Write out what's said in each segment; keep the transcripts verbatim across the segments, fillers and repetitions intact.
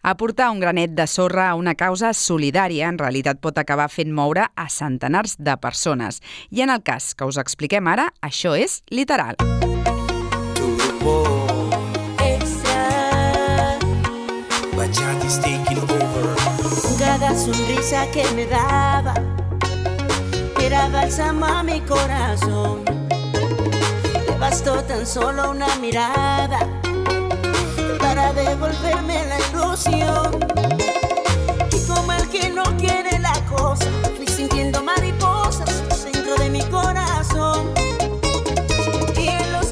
Aportar un granet de sorra a una causa solidària en realitat pot acabar fent moure a centenars de persones. I en el cas que us expliquem ara, això és literal. Cada sonrisa que me daba era bálsamo a mi corazón. Me bastó tan solo una mirada para devolverme la ilusión. Y como el que no quiere la cosa, fui sintiendo mariposas dentro de mi corazón.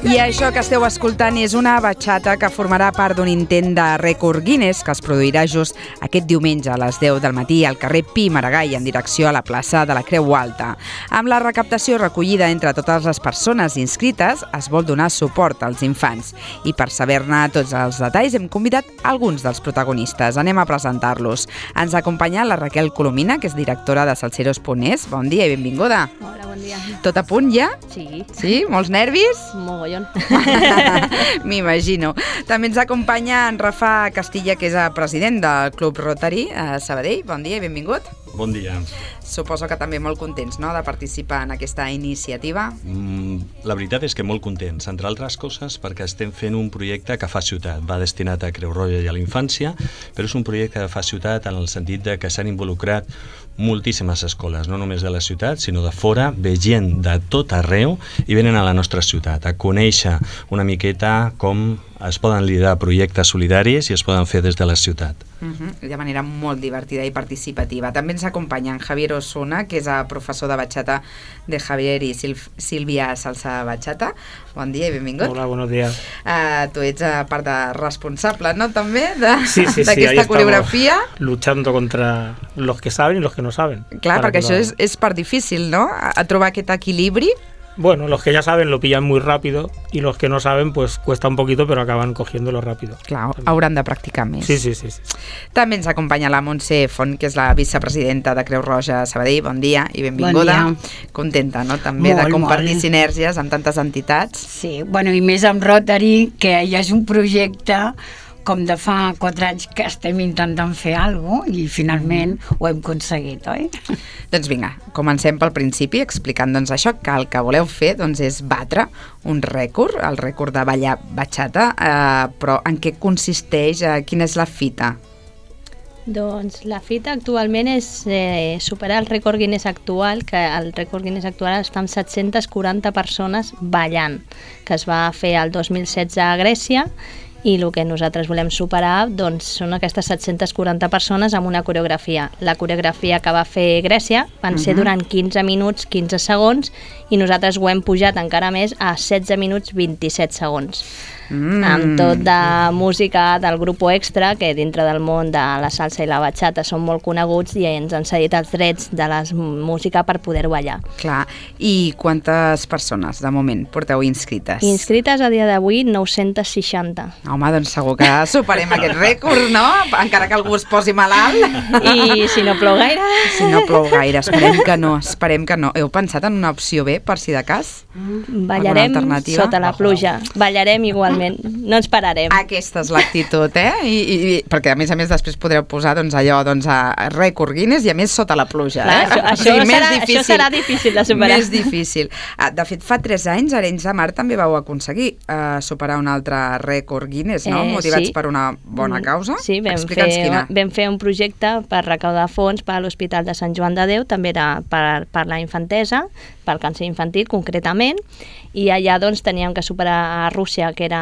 I això que esteu escoltant és una batxata que formarà part d'un intent de rècord Guinness que es produirà just aquest diumenge a les deu del matí al carrer Pi Maragall en direcció a la plaça de la Creu Alta. Amb la recaptació recollida entre totes les persones inscrites es vol donar suport als infants. I per saber-ne tots els detalls hem convidat alguns dels protagonistes. Anem a presentar-los. Ens acompanya la Raquel Colomina, que és directora de Salseros punt es. Bon dia i benvinguda. Hola, bon dia. Tot a punt ja? Sí. Sí? Molts nervis? Mogollon. M'imagino. També ens acompanya en Rafa Castilla, que és el president del Club Rotary a Sabadell. Bon dia i benvingut. Bon dia. Suposo que també molt contents, no?, de participar en aquesta iniciativa. Mm, la veritat és que molt contents, entre altres coses perquè estem fent un projecte que fa ciutat. Va destinat a Creu Roja i a la infància, però és un projecte que fa ciutat en el sentit de que s'han involucrat moltíssimes escoles, no només de la ciutat, sinó de fora, ve gent de tot arreu i venen a la nostra ciutat a conèixer una miqueta com es poden liderar projectes solidaris i es poden fer des de la ciutat. Uh-huh. De manera molt divertida i participativa. També ens acompanya en Javier Osuna, que és el professor de batxata de Javier i Sil- Sílvia Salsa Batxata. Bon dia i benvingut. Hola, buenos días. Uh, tu ets a part de responsable, no?, també, de, sí, sí, d'aquesta sí, coreografia. Luchando contra los que saben y los que no saben. Clar, perquè això és, és part difícil, no?, a, a trobar aquest equilibri. Bueno, los que ya saben lo pillan muy rápido y los que no saben pues cuesta un poquito però acaban cogiéndolo rápido. Clar, hauran de practicar més. Sí, sí, sí, sí. També ens acompanya la Montse Font, que és la vicepresidenta de Creu Roja Sabadell. Bon dia i benvinguda. Bon dia. Contenta, no?, també molt, de compartir molt. sinergies amb tantes entitats. Sí, bueno, i més amb Rotary, que ja és un projecte com de fa quatre anys que estem intentant fer alguna cosa i finalment ho hem aconseguit, oi? Doncs vinga, comencem pel principi explicant doncs, això, que el que voleu fer doncs, és batre un rècord, el rècord de ballar batxata, eh, però en què consisteix, eh, quina és la fita? Doncs la fita actualment és eh, superar el rècord Guinness actual, que el rècord Guinness actual està amb set-centes quaranta persones ballant, que es va fer el dos mil setze a Grècia, i el que nosaltres volem superar doncs, són aquestes set-centes quaranta persones amb una coreografia. La coreografia que va fer Grècia van ser uh-huh. durant quinze minuts, quinze segons, i nosaltres ho hem pujat encara més a setze minuts, vint-i-set segons. Mm. Amb tot de música del Grupo Extra, que dintre del món de la salsa i la batxata són molt coneguts i ens han cedit els drets de la música per poder ballar. Clar, i quantes persones de moment porteu inscrites? Inscrites a dia d'avui nou-centes seixanta. Home, doncs segur que superem aquest rècord, no? Encara que algú es posi malalt. I si no plou gaire... Si no plou gaire, esperem que no, esperem que no. Heu pensat en una opció B, per si de cas? Ballarem sota la pluja, ballarem igualment. No ens pararem. Aquesta és l'actitud, eh? I, i, i, perquè a més a més després podreu posar doncs, allò doncs, a rècord Guinness i a més sota la pluja. Clar, eh? això, això, sí, serà, això serà difícil de superar. Més difícil. De fet, fa tres anys, a Arenys de Mar també vau aconseguir uh, superar un altre rècord Guinness, no? Eh, Motivats sí. per una bona causa. Sí, vam fer, vam fer un projecte per recaudar fons per a l'Hospital de Sant Joan de Déu, també era per, per la infantesa, pel càncer infantil concretament, i allà doncs, teníem que superar a Rússia, que era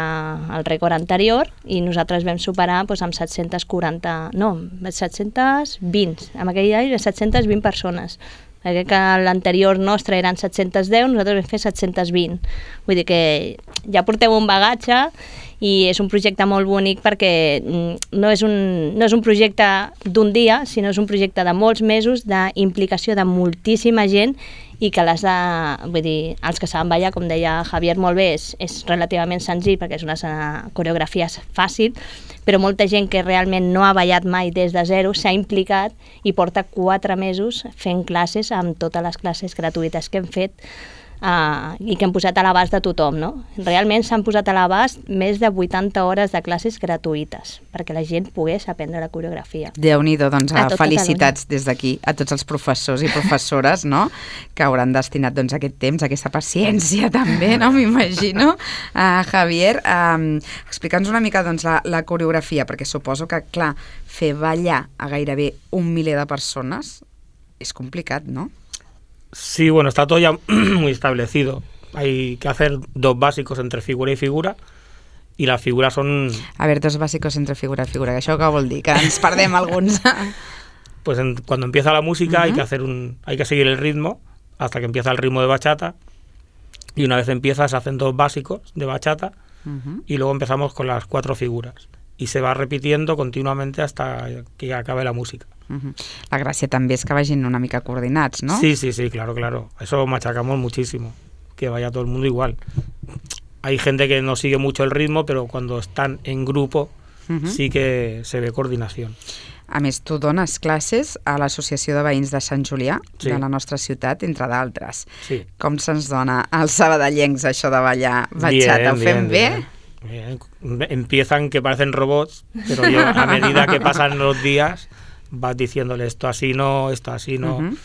el rècord anterior, i nosaltres vam superar doncs, amb set-centes quaranta, no, set-centes vint, en aquell any set-centes vint persones. Perquè que l'anterior nostre eren set-centes deu, nosaltres vam fer set-centes vint. Vull dir que ja porteu un bagatge i és un projecte molt bonic perquè no és un, no és un projecte d'un dia, sinó és un projecte de molts mesos d'implicació de moltíssima gent i que les de, vull dir, els que saben ballar, com deia Javier molt bé, és, és relativament senzill perquè és una coreografia fàcil, però molta gent que realment no ha ballat mai des de zero s'ha implicat i porta quatre mesos fent classes amb totes les classes gratuïtes que hem fet uh, i que hem posat a l'abast de tothom, no? Realment s'han posat a l'abast més de vuitanta hores de classes gratuïtes perquè la gent pogués aprendre la coreografia. Déu-n'hi-do, doncs A tot felicitats des d'aquí a tots els professors i professores, no?, que hauran destinat doncs, aquest temps, aquesta paciència també, no?, m'imagino. Uh, Javier, um, explica'ns una mica doncs, la, la coreografia, perquè suposo que, clar, fer ballar a gairebé un miler de persones és complicat, ¿no? Sí, bueno, está todo ya muy establecido. Hay que hacer dos básicos entre figura y figura, y las figuras son... A ver, dos básicos entre figura y figura, que això què vol dir? Que ens perdem alguns. Pues en, cuando empieza la música uh-huh. hay que hacer un, hay que seguir el ritmo hasta que empieza el ritmo de bachata, y una vez empieza se hacen dos básicos de bachata, uh-huh. y luego empezamos con las cuatro figuras. Y se va repitiendo continuamente hasta que acabe la música. Uh-huh. La gràcia també és que vagin una mica coordinats, ¿no? Sí, sí, sí, claro, claro. Eso machacamos muchísimo, que vaya todo el mundo igual. Hay gente que no sigue mucho el ritmo, pero cuando están en grupo uh-huh. sí que se ve coordinación. A més, tu dones classes a l'Associació de Veïns de Sant Julià, sí. de la nostra ciutat, entre d'altres. Sí. Com se'ns dona als sabadellencs això de ballar bachata? Ho fem bé? Bien. Bien. Empiezan que parecen robots, pero yo, a medida que pasan los días vas diciéndole esto así no, esto así no. Uh-huh.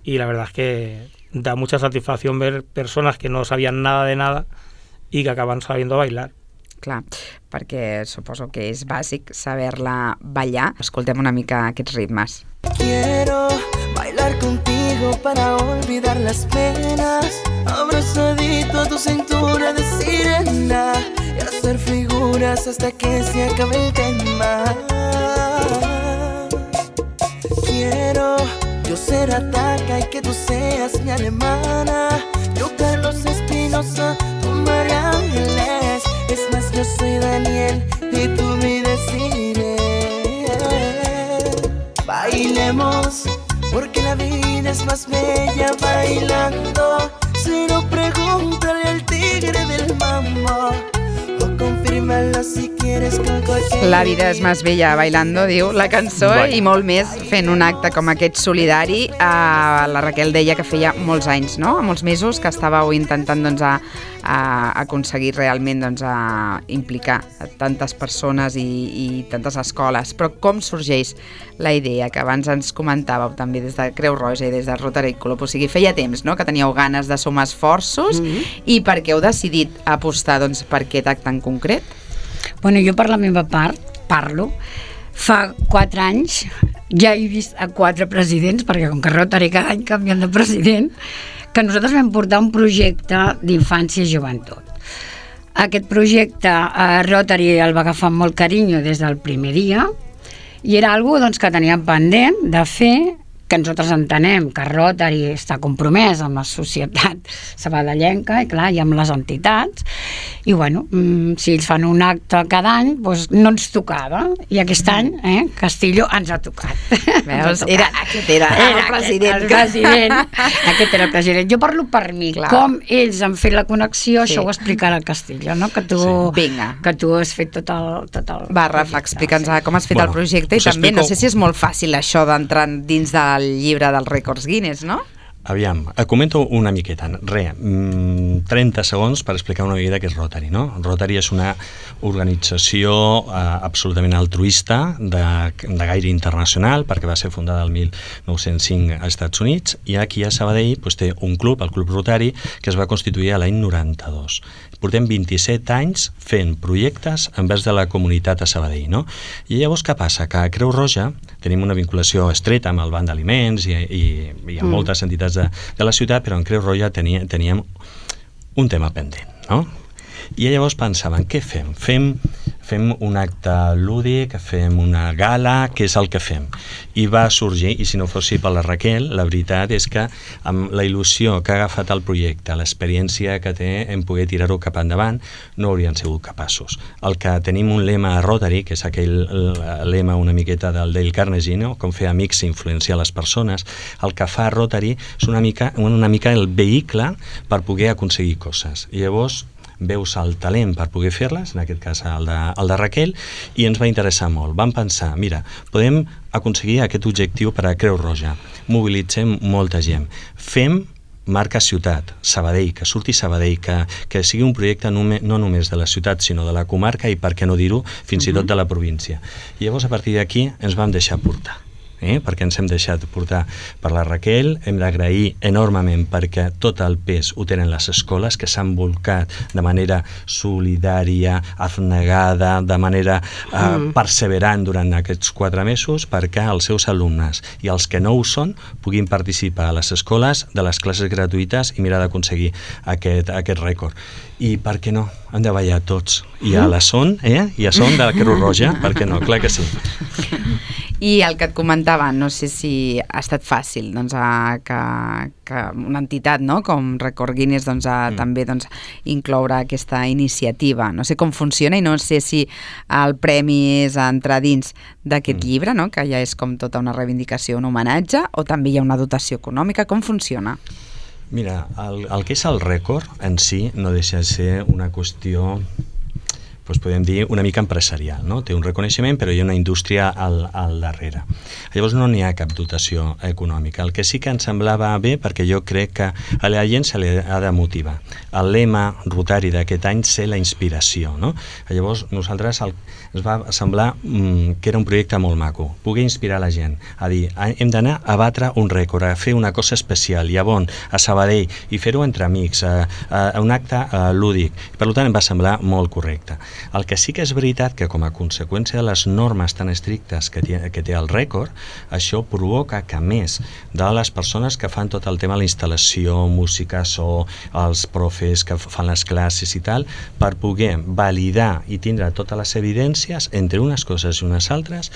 Y la verdad es que da mucha satisfacción ver personas que no sabían nada de nada y que acaban sabiendo bailar. Clar, perquè suposo que és bàsic saber-la ballar. Escoltem una mica aquests ritmes. Quiero bailar contigo para olvidar las penas, abrazadito a tu cintura de sirena y hacer figuras hasta que se acabe el tema. Quiero yo ser Ataca y que tú seas mi alemana, yo Carlos Espinosa, tú María Ángeles. Es más, yo soy Daniel y tú mi Desiree. Bailemos, porque la vida es más bella bailando. Si no, pregúntale al tigre del mambo, o confírmalo si quieres con cualquier... La vida és més bella bailando, diu la cançó, bueno. I molt més fent un acte com aquest solidari. Uh, la Raquel deia que feia molts anys, no?, molts mesos que estàveu intentant doncs, a, a aconseguir realment doncs, a implicar a tantes persones i, i tantes escoles. Però com sorgeix la idea, que abans ens comentàveu també des de Creu Roja i des de Rotary Club? O sigui, feia temps, no?, que teníeu ganes de sumar esforços, mm-hmm. i per què heu decidit apostar doncs, per aquest acte en concret? Bueno, jo per la meva part parlo. Fa quatre anys ja he vist a quatre presidents, perquè com que Rotary cada any canvien de president, que nosaltres vam portar un projecte d'infància i joventut. Aquest projecte eh, Rotary el va agafar amb molt carinyo des del primer dia i era algo doncs, que teníem pendent de fer, que nosaltres entenem que Rotary està compromès amb la societat sabadellenca i clar, i amb les entitats, i bueno, mmm, si ells fan un acte cada any, doncs no ens tocava, i aquest any eh, Castillo ens ha tocat. Veus? Era, aquest era, era el president. El president. Aquest era el president. Jo parlo per mi, clar. Com ells han fet la connexió, sí. Això ho explicarà el Castillo, no? Que tu, sí. que tu has fet tot el, tot el Va, Rafa, explica'ns sí. com has fet bueno, el projecte i també, explico... no sé si és molt fàcil això d'entrar dins del llibre dels rècords Guinness, no? Aviam, comento una miqueta. Re, trenta segons per explicar una miqueta què és Rotary, no? Rotary és una organització eh, absolutament altruista de, de gaire internacional, perquè va ser fundada el mil nou-cents cinc als Estats Units, i aquí a Sabadell pues, té un club, el Club Rotary, que es va constituir a l'any noranta-dos. Portem vint-i-set anys fent projectes envers de la comunitat a Sabadell, no? I llavors què passa? Que a Creu Roja tenim una vinculació estreta amb el Banc d'Aliments i, i, i amb mm. moltes entitats de, de la ciutat, però en Creu Roja tenia, teníem un tema pendent, no? I llavors pensàvem, què fem? Fem, fem un acte lúdic, fem una gala, què és el que fem? I va sorgir, i si no fos per la Raquel, la veritat és que amb la il·lusió que ha agafat el projecte, l'experiència que té en poder tirar-ho cap endavant, no haurien sigut capaços. El que tenim un lema a Rotary, que és aquell lema una miqueta del Dale Carnegie, no? Com fer amics i influenciar les persones, el que fa Rotary és una mica, una mica el vehicle per poder aconseguir coses. I llavors veus el talent per poder fer-les, en aquest cas el de, el de Raquel, i ens va interessar molt. Vam pensar, mira, podem aconseguir aquest objectiu per a Creu Roja, mobilitzem molta gent, fem marca ciutat, Sabadell, que surti Sabadell, que, que sigui un projecte no, no només de la ciutat, sinó de la comarca i, per què no dir-ho, fins i tot de la província. I llavors, a partir d'aquí, ens vam deixar portar. Eh? perquè ens hem deixat portar per la Raquel, hem d'agrair enormement perquè tot el pes ho tenen les escoles que s'han volcat de manera solidària, abnegada, de manera eh, mm. perseverant durant aquests quatre mesos perquè els seus alumnes i els que no ho són puguin participar a les escoles de les classes gratuïtes i mirar d'aconseguir aquest, aquest rècord. I per què no? Hem de ballar tots. I a la son, eh? I a son de la Creu Roja, per què no? Clar que sí. I el que et comentava, no sé si ha estat fàcil doncs, a, que, que una entitat no? com Record Guinness doncs, a, mm. també doncs, incloure aquesta iniciativa. No sé com funciona i no sé si el premi és a entrar dins d'aquest mm. llibre, no? que ja és com tota una reivindicació, un homenatge, o també hi ha una dotació econòmica. Com funciona? Mira, el, el que és el rècord en si no deixa de ser una qüestió, doncs podem dir, una mica empresarial, no? Té un reconeixement, però hi ha una indústria al, al darrere. Llavors no n'hi ha cap dotació econòmica. El que sí que ens semblava bé, perquè jo crec que a la gent se li ha de motivar. El lema rotari d'aquest any és la inspiració, no? Llavors nosaltres el, ens va semblar mm, que era un projecte molt maco, poder inspirar la gent, a dir, hem d'anar a batre un rècord, a fer una cosa especial, i a bon, a Sabadell, i fer-ho entre amics, a, a, a un acte a, lúdic. Per tant, em va semblar molt correcte. El que sí que és veritat que com a conseqüència de les normes tan estrictes que té, que té el rècord, això provoca que més de les persones que fan tot el tema de la instal·lació, música, so, els profes que fan les classes i tal, per poder validar i tindre totes les evidències entre unes coses i unes altres,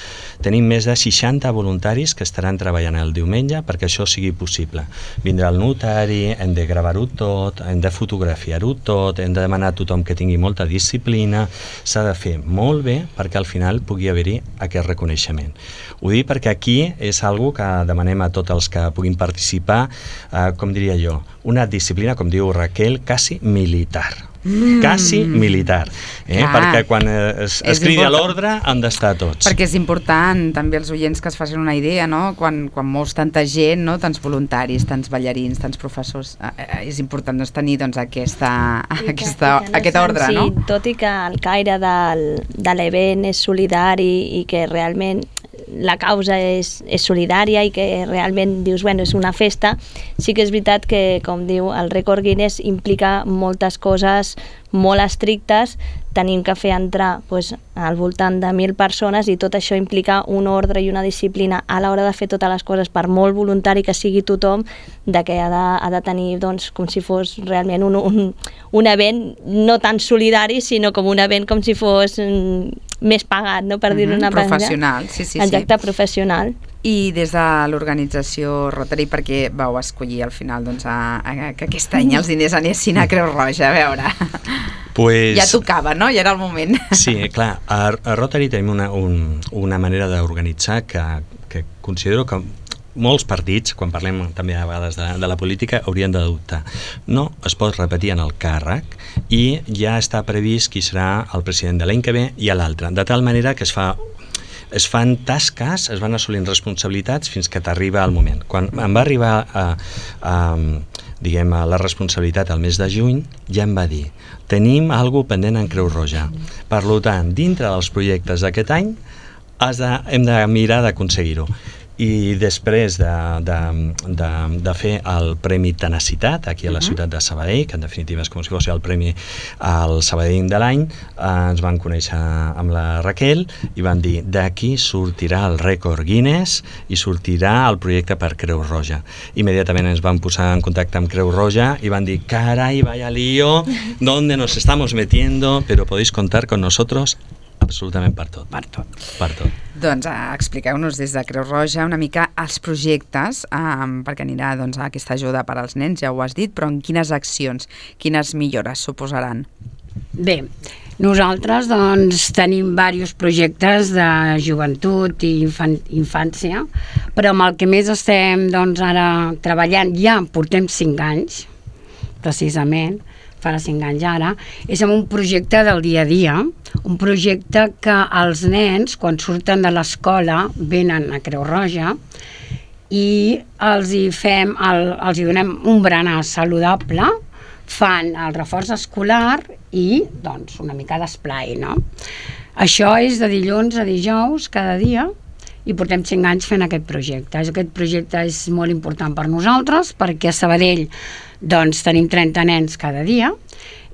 tenim més de seixanta voluntaris que estaran treballant el diumenge perquè això sigui possible. Vindrà el notari, hem de gravar-ho tot, hem de fotografiar-ho tot, hem de demanar a tothom que tingui molta disciplina, s'ha de fer molt bé perquè al final pugui haver-hi aquest reconeixement. Ho dic perquè aquí és algo que demanem a tots els que puguin participar, eh, com diria jo, una disciplina, com diu Raquel, quasi militar. Mm. Quasi militar, eh? Clar, perquè quan es, es cridi a l'ordre han d'estar tots. Perquè és important també els oients que es facin una idea, no? Quan, quan mous tanta gent, no? Tants voluntaris, tants ballarins, tants professors, eh, és important doncs, tenir doncs, aquesta, aquesta, que, que aquest ordre, sí, no? Tot i que el caire del, de l'event és solidari i que realment la causa és, és solidària i que realment dius, bueno, és una festa, sí que és veritat que, com diu, el Record Guinness implica moltes coses molt estrictes, tenim que fer entrar pues, al voltant de mil persones i tot això implica un ordre i una disciplina a l'hora de fer totes les coses, per molt voluntari que sigui tothom, de que ha de, ha de tenir doncs, com si fos realment un, un, un event no tan solidari, sinó com un event com si fos mm, més pagat, no? Per dir-ho una manera. Professional, sí, sí. Exacte, sí. professional. I des de l'organització Rotary, perquè vau escollir al final doncs, a, a, que aquest any els diners anessin a Creu Roja, a veure... Pues... Ja tocava, no? Ja era el moment. Sí, clar, a, a Rotary tenim una, un, una manera d'organitzar que, que considero que molts partits, quan parlem també a vegades de, de la política, haurien d'adoptar. No es pot repetir en el càrrec i ja està previst qui serà el president de l'any que ve i a l'altre, de tal manera que es fa es fan tasques, es van assolint responsabilitats fins que t'arriba el moment. Quan em va arribar a, a, diguem, a la responsabilitat al mes de juny, ja em va dir, tenim alguna pendent en Creu Roja. Per tant, dintre dels projectes d'aquest any, has de, hem de mirar d'aconseguir-ho. I després de, de, de, de fer el Premi Tenacitat aquí a la ciutat de Sabadell, que en definitiva és com si fos el premi al Sabadell de l'any, eh, ens van conèixer amb la Raquel i van dir, d'aquí sortirà el Record Guinness i sortirà el projecte per Creu Roja. Immediatament ens van posar en contacte amb Creu Roja i van dir, caray, vaya lío, ¿dónde nos estamos metiendo? Pero podéis contar con nosotros absolutament per tot. Per tot. Per tot. Doncs uh, expliqueu-nos des de Creu Roja una mica els projectes, um, perquè anirà doncs, a aquesta ajuda per als nens, ja ho has dit, però en quines accions, quines millores suposaran? Bé, nosaltres doncs, tenim diversos projectes de joventut i infan infància, però amb el que més estem doncs, ara treballant, ja portem cinc anys, precisament, farà cinc anys ara, és amb un projecte del dia a dia, un projecte que els nens, quan surten de l'escola, venen a Creu Roja i els hi fem, el, els hi donem un berenar saludable, fan el reforç escolar i doncs una mica d'esplai, no? Això és de dilluns a dijous cada dia i portem cinc anys fent aquest projecte. Aquest projecte és molt important per nosaltres perquè a Sabadell doncs, tenim trenta nens cada dia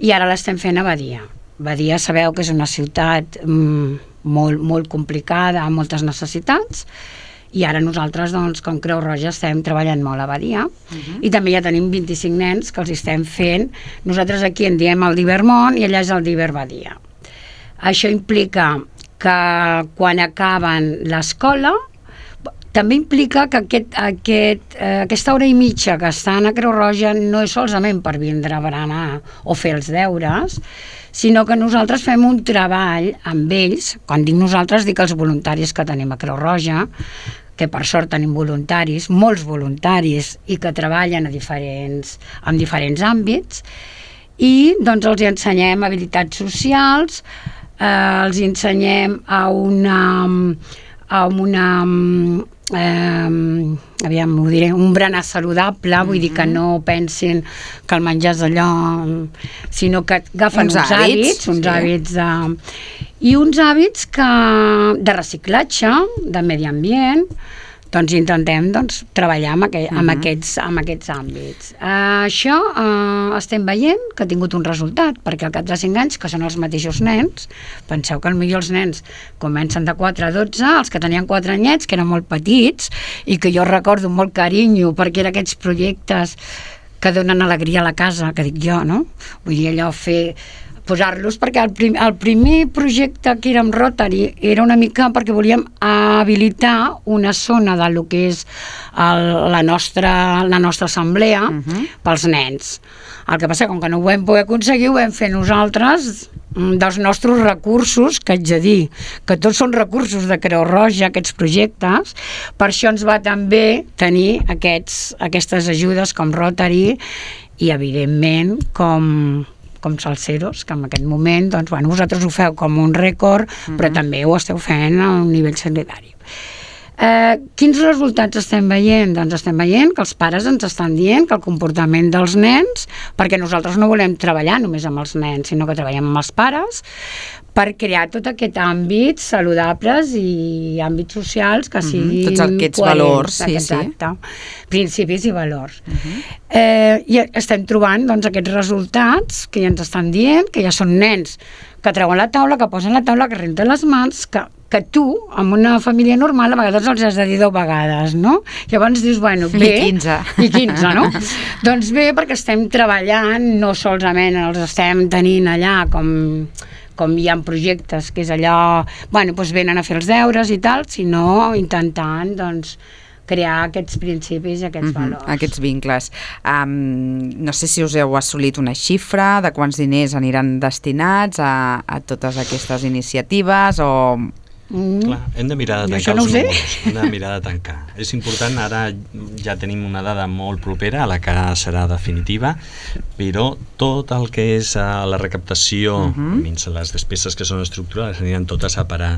i ara l'estem fent a Badia. Badia sabeu que és una ciutat mm, molt, molt complicada, amb moltes necessitats, i ara nosaltres, doncs, com Creu Roja, estem treballant molt a Badia uh-huh. i també ja tenim vint-i-cinc nens que els estem fent. Nosaltres aquí en diem el Divermont i allà és el Diver Badia. Això implica que quan acaben l'escola, també implica que aquest, aquest, eh, aquesta hora i mitja que estan a Creu Roja no és solament per vindre a berenar o fer els deures, sinó que nosaltres fem un treball amb ells. Quan dic nosaltres, dic els voluntaris que tenim a Creu Roja, que per sort tenim voluntaris, molts voluntaris, i que treballen a diferents, en diferents àmbits, i doncs els ensenyem habilitats socials, eh, els ensenyem a una... a una eh, aviam, ho diré, un berenar saludable, mm-hmm. vull dir que no pensin que el menjar és allò, sinó que agafen uns, uns hàbits, hàbits uns sí. hàbits de, i uns hàbits que, de reciclatge, de medi ambient, doncs intentem doncs, treballar amb, aqu amb, uh-huh. aquests, amb aquests àmbits. Uh, això uh, estem veient que ha tingut un resultat, perquè al cap de cinc anys, que són els mateixos nens, penseu que potser els nens comencen de quatre a dotze, els que tenien quatre anyets, que eren molt petits, i que jo recordo molt carinyo, perquè eren aquests projectes que donen alegria a la casa, que dic jo, no? Vull dir, allò fer... posar-los, perquè el, prim, el primer projecte que era amb Rotary era una mica perquè volíem habilitar una zona de lo que és el, la, nostra, la nostra assemblea uh-huh. pels nens. El que passa, com que no ho vam poder aconseguir, ho vam fer nosaltres dels nostres recursos, que haig de dir que tots són recursos de Creu Roja, aquests projectes, per això ens va també tenir aquests, aquestes ajudes com Rotary i, evidentment, com... com Salseros, que en aquest moment doncs, bueno, vosaltres ho feu com un rècord, uh-huh. però també ho esteu fent a un nivell sanitari. Eh, quins resultats estem veient? Doncs estem veient que els pares ens estan dient que el comportament dels nens, perquè nosaltres no volem treballar només amb els nens, sinó que treballem amb els pares, per crear tot aquest àmbit saludables i àmbits socials que siguin tots aquests coherents, valors, sí, exacte, sí. principis i valors. Uh-huh. eh, I estem trobant doncs, aquests resultats que ja ens estan dient, que ja són nens que treuen la taula, que posen la taula, que renten les mans, que, que tu, amb una família normal, a vegades els has de dir deu vegades, no? Llavors dius, bueno, bé... I quinze. I quinze, no? Doncs bé, perquè estem treballant, no solament els estem tenint allà com... com hi ha projectes que és allò, bueno, doncs venen a fer els deures i tal, sinó intentant, doncs, crear aquests principis i aquests uh-huh, valors. Aquests vincles. Um, no sé si us heu assolit una xifra de quants diners aniran destinats a, a totes aquestes iniciatives o... Mm. Clar, hem de mirar de tancar no els números, hem de mirar de tancar. És important, ara ja tenim una dada molt propera a la que serà definitiva, però tot el que és a la recaptació, uh-huh. menys les despeses que són estructurals, aniran totes a parar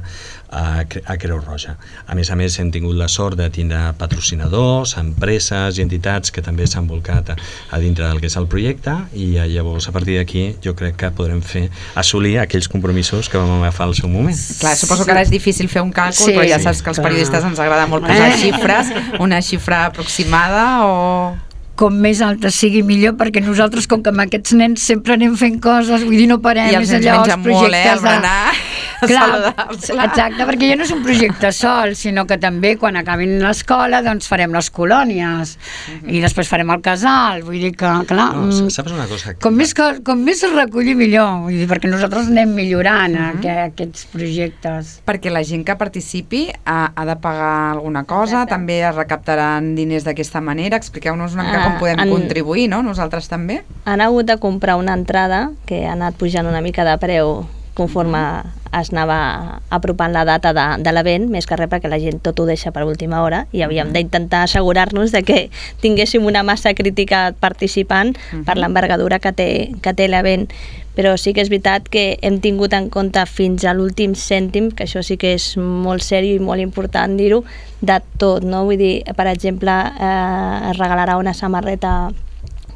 a, a Creu Roja. A més a més, hem tingut la sort de tindre patrocinadors, empreses i entitats que també s'han volcat a, a dintre del que és el projecte, i llavors a partir d'aquí jo crec que podrem fer assolir aquells compromisos que vam agafar al seu moment. Clar, suposo que ara és difícil fer un càlcul, sí, però ja saps que als periodistes ens agrada molt posar eh? xifres, una xifra aproximada o... Com més alta sigui millor, perquè nosaltres, com que amb aquests nens sempre anem fent coses, vull dir, no parem, i els és allò, els projectes molt, eh, el berenar, de... Clar, exacte, perquè ja no és un projecte sol, sinó que també quan acabin l'escola doncs farem les colònies uh-huh. i després farem el casal, vull dir que, clar, no, saps una cosa? Com més, com més es reculli millor, vull dir, perquè nosaltres anem millorant uh-huh. aqu aquests projectes. Perquè la gent que participi ha, ha de pagar alguna cosa, exacte. També es recaptaran diners d'aquesta manera, expliqueu-nos una mica com podem han, contribuir, no? Nosaltres també. Han hagut de comprar una entrada que ha anat pujant una mica de preu conforme es anava apropant la data de, de l'event, més que res perquè la gent tot ho deixa per última hora i havíem d'intentar assegurar-nos de que tinguéssim una massa crítica participant uh-huh. per l'envergadura que té, que té l'event. Però sí que és veritat que hem tingut en compte fins a l'últim cèntim, que això sí que és molt sèrio i molt important dir-ho, de tot, no? Vull dir, per exemple, eh, es regalarà una samarreta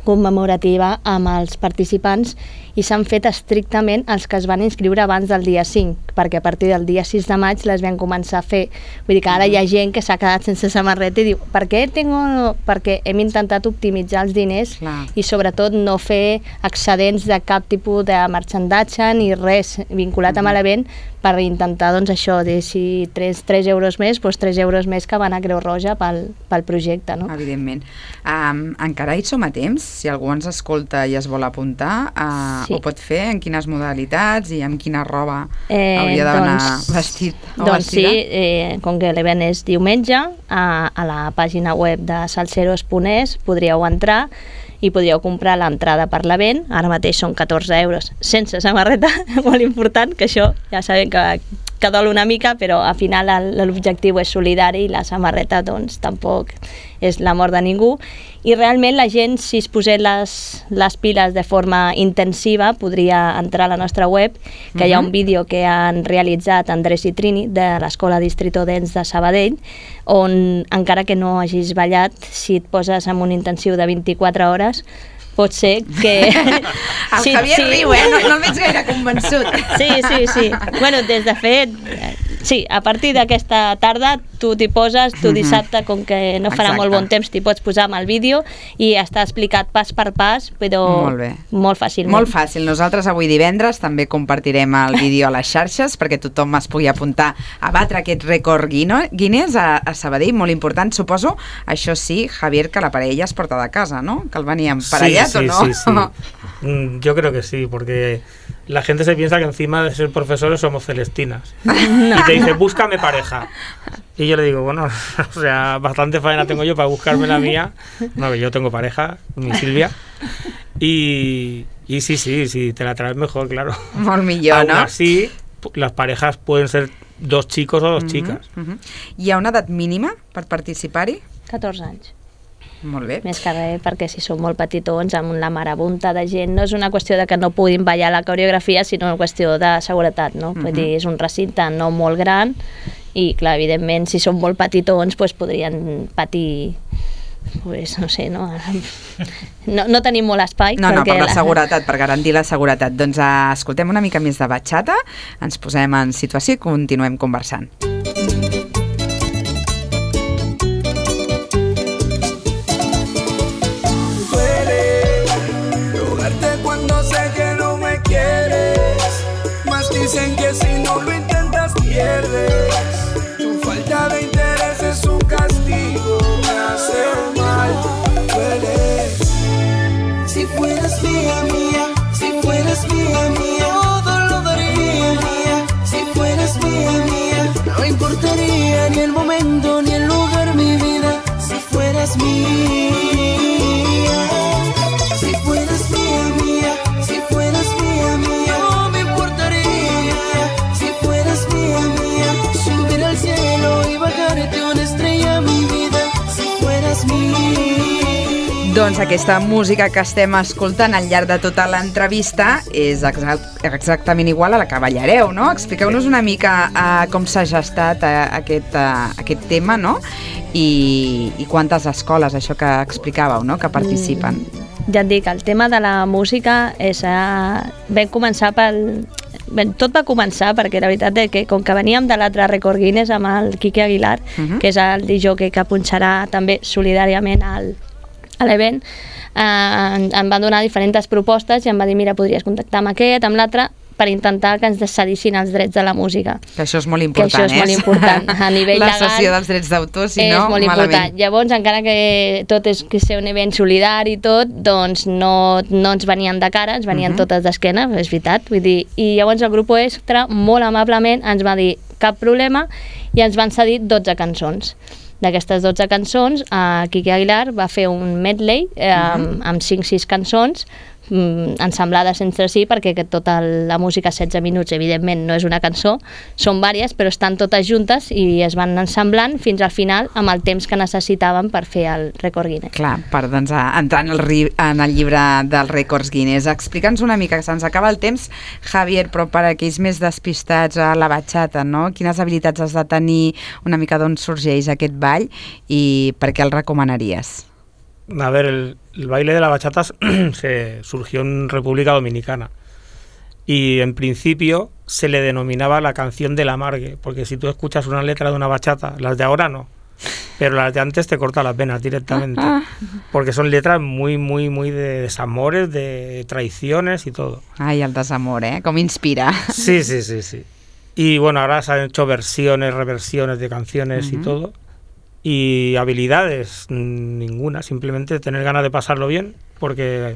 commemorativa amb els participants i s'han fet estrictament els que es van inscriure abans del dia cinc, perquè a partir del dia sis de maig les vam començar a fer. Vull dir que ara hi ha gent que s'ha quedat sense samarreta i diu, per què tengo...? Perquè hem intentat optimitzar els diners Clar. I sobretot no fer excedents de cap tipus de marxandatge ni res vinculat amb l'event per intentar, doncs això, de si tres euros més, doncs tres euros més que van a Creu Roja pel, pel projecte, no? Evidentment. Um, encara hi som a temps? Si algú ens escolta i es vol apuntar, uh, sí. ho pot fer? En quines modalitats i amb quina roba eh, hauria d'anar doncs, vestit o doncs vestida? Sí, eh, com que l'event és diumenge, a, a la pàgina web de salseros punt es podríeu entrar i podríeu comprar l'entrada per l'event. Ara mateix són catorze euros sense samarreta, molt important, que això ja sabem que, que dol una mica, però al final l'objectiu és solidari i la samarreta doncs tampoc és la mort de ningú. I realment la gent, si es posés les, les piles de forma intensiva, podria entrar a la nostra web, que uh-huh. hi ha un vídeo que han realitzat Andrés i Trini de l'Escola Distrito Dance de Sabadell, on encara que no hagis ballat, si et poses en un intensiu de vint-i-quatre hores, pot ser que... El sí, Javier sí. riu, eh? No, no el veig gaire convençut. Sí, sí, sí. Bueno, des de fet, sí, a partir d'aquesta tarda tu t'hi poses, tu dissabte, com que no farà Exacte. Molt bon temps, t'hi pots posar amb el vídeo i està explicat pas per pas, però molt, bé. molt fàcilment. Molt fàcil. Nosaltres avui divendres també compartirem el vídeo a les xarxes perquè tothom es pugui apuntar a batre aquest rècord Guinness a, a Sabadell, molt important, suposo. Això sí, Javier, que la parella es porta de casa, ¿no? Que el venia emparellat, sí, sí, ¿o no? Sí, sí. Yo creo que sí, porque la gente se piensa que encima de ser profesores somos celestinas. No. Y te dice, búscame pareja. Y yo le digo, bueno, o sea, bastante faena tengo yo para buscarme la mía. No, que yo tengo pareja, mi Silvia. Y, y sí, sí, sí, te la traes mejor, claro. Molt millor, Aún no? así, las parejas pueden ser dos chicos o dos uh-huh, chicas. Uh-huh. Hi ha una edat mínima per participar-hi? catorze anys. Molt bé. Més que res, perquè si són molt petitons, amb la marabunta de gent, no és una qüestió de que no puguin ballar la coreografia, sinó una qüestió de seguretat, no? Uh-huh. Vull dir, és un recinte no molt gran i, clar, evidentment, si són molt petitons, doncs podrien patir, pues, no sé, no? No, no tenim molt espai. No, no, per la seguretat, per garantir la seguretat. Doncs uh, escoltem una mica més de bachata, ens posem en situació i continuem conversant. Dicen que si no lo intentas pierdes. Tu falta de interés es un castigo, me hace mal, duele. Si fueras mía, mía, si fueras mía, mía, todo lo daría mía. Si fueras mía, mía, no importaría ni el momento ni el lugar, mi vida. Si fueras mía, si fueras mía, mía, si fueras mía, mía. Doncs aquesta música que estem escoltant al llarg de tota l'entrevista és exact, exactament igual a la que ballareu, no? Expliqueu-nos una mica uh, com s'ha gestat uh, aquest, uh, aquest tema, no? I, i quantes escoles, això que explicàveu, no? Que participen. Mm, ja et dic, el tema de la música és... Uh, vam començar pel... Bé, tot va començar perquè la veritat és que com que veníem de l'altre rècord Guinness amb el Quique Aguilar, uh-huh. que és el disjockey que punxarà també solidàriament al, a l'event, eh, em van donar diferents propostes i em va dir, mira, podries contactar amb aquest, amb l'altre, per intentar que ens cedissin els drets de la música. Que això és molt important, que això és eh? molt important. A nivell la legal... La cessió dels drets d'autor, si és no, molt malament. Important. Llavors, encara que tot és que ser un event solidari i tot, doncs no, no ens venien de cara, ens venien uh-huh. totes d'esquena, és veritat. Vull dir, i llavors el grup Extra, molt amablement, ens va dir cap problema i ens van cedir dotze cançons. D'aquestes dotze cançons, eh, Quique Aguilar va fer un medley eh, uh-huh. amb, amb cinc sis cançons mm, ensemblades entre si, perquè que tota la música setze minuts, evidentment, no és una cançó, són vàries, però estan totes juntes i es van ensamblant fins al final amb el temps que necessitaven per fer el rècord Guinness. Clar, per doncs, entrar en el, ri, en el llibre dels rècords Guinness. Explica'ns una mica, que se'ns acaba el temps, Javier, però per aquells més despistats a la bachata, no? Quines habilitats has de tenir, una mica d'on sorgeix aquest ball i per què el recomanaries? A ver, el, el baile de la bachata se surgió en República Dominicana y en principio se le denominaba la canción del amargue, porque si tú escuchas una letra de una bachata, las de ahora no, pero las de antes te corta las venas directamente, porque son letras muy, muy, muy de desamores, de traiciones y todo. Ay, el desamor, ¿eh? ¿Cómo inspira? Sí, sí, sí, sí. Y bueno, ahora se han hecho versiones, reversiones de canciones uh-huh. y todo. Y habilidades, ninguna, simplemente tener ganas de pasarlo bien, porque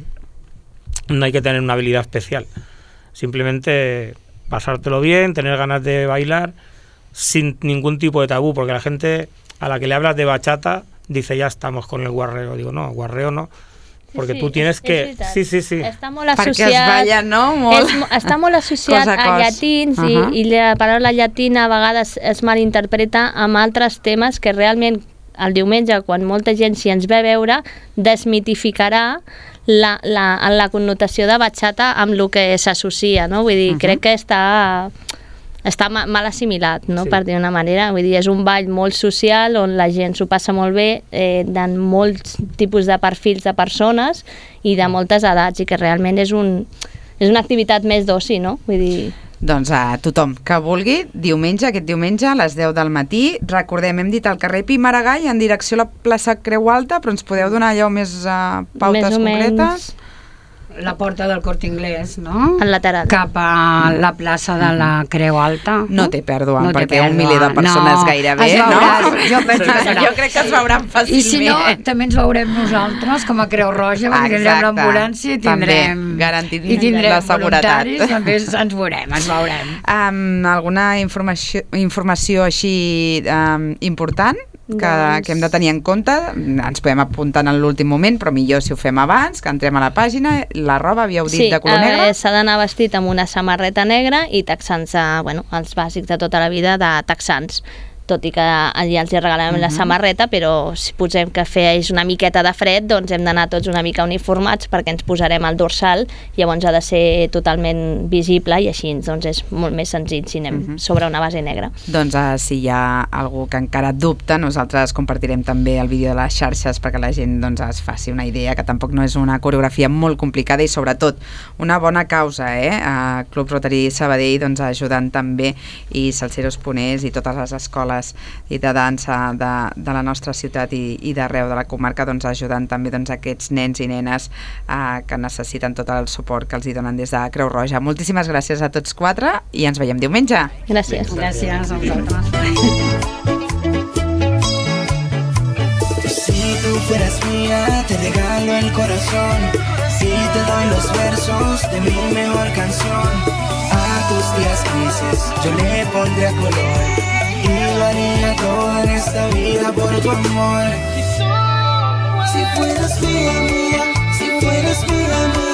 no hay que tener una habilidad especial. Simplemente pasártelo bien, tener ganas de bailar, sin ningún tipo de tabú, porque la gente a la que le hablas de bachata dice ya estamos con el guarreo. Digo, no, guarreo no. Perquè sí, tu tienes és, que... És sí, sí, sí. Està molt associat... Perquè es balla, no? Molt... És, està molt associat a, a llatins uh -huh. i, i la paraula llatina a vegades es malinterpreta amb altres temes que realment el diumenge, quan molta gent s'hi ens ve a veure, desmitificarà la, la, la connotació de bachata amb el que s'associa, no? Vull dir, uh -huh. crec que està... està mal assimilat, no? Sí. Per dir una manera. Vull dir, és un ball molt social on la gent s'ho passa molt bé, eh, de molts tipus de perfils de persones i de moltes edats, i que realment és, un, és una activitat més d'oci, no? Vull dir... Doncs a tothom que vulgui, diumenge, aquest diumenge a les deu del matí, recordem, hem dit al carrer Pi Maragall en direcció a la plaça Creu Alta, però ens podeu donar allò més uh, pautes més concretes? Menys. La porta del Corte Inglés, no? Al lateral. Cap a la plaça de la Creu Alta. No té pèrdua, no perquè un miler de persones no, gairebé, no? Jo, penso que jo crec que es veuran fàcilment. I si no, també ens veurem nosaltres, com a Creu Roja, perquè tindrem l'ambulància i tindrem, garantit i tindrem la seguretat. Voluntaris, també ens veurem, ens veurem. Um, alguna informació, informació així um, important? Que, doncs... que hem de tenir en compte, ens podem apuntar en l'últim moment, però millor si ho fem abans, que entrem a la pàgina. La roba, havíeu dit, sí, de color negre? Sí, s'ha d'anar vestit amb una samarreta negra i texans, bueno, els bàsics de tota la vida de texans, tot i que allà els hi regalem uh-huh. la samarreta, però si posem que feix una miqueta de fred, doncs hem d'anar tots una mica uniformats perquè ens posarem al dorsal, llavors ha de ser totalment visible i així doncs és molt més senzill si anem uh-huh. sobre una base negra. Doncs uh, si hi ha algú que encara dubta, nosaltres compartirem també el vídeo de les xarxes perquè la gent doncs, es faci una idea, que tampoc no és una coreografia molt complicada i sobretot una bona causa, eh? Uh, Club Rotary Sabadell doncs, ajudant també, i Salseros Ponés i totes les escoles i de dansa de, de la nostra ciutat i, i d'arreu de la comarca, doncs, ajudant també doncs, aquests nens i nenes eh, que necessiten tot el suport que els hi donen des de Creu Roja. Moltíssimes gràcies a tots quatre i ens veiem diumenge. Gràcies. Gràcies a vosaltres. Si tú fueras mía, te regalo el corazón. Si te doy los versos de mi mejor canción. A tus días grises yo le pondría color. Y lo haría todo en esta vida por tu amor. Si fueras mía, mía, si fueras mía, mía.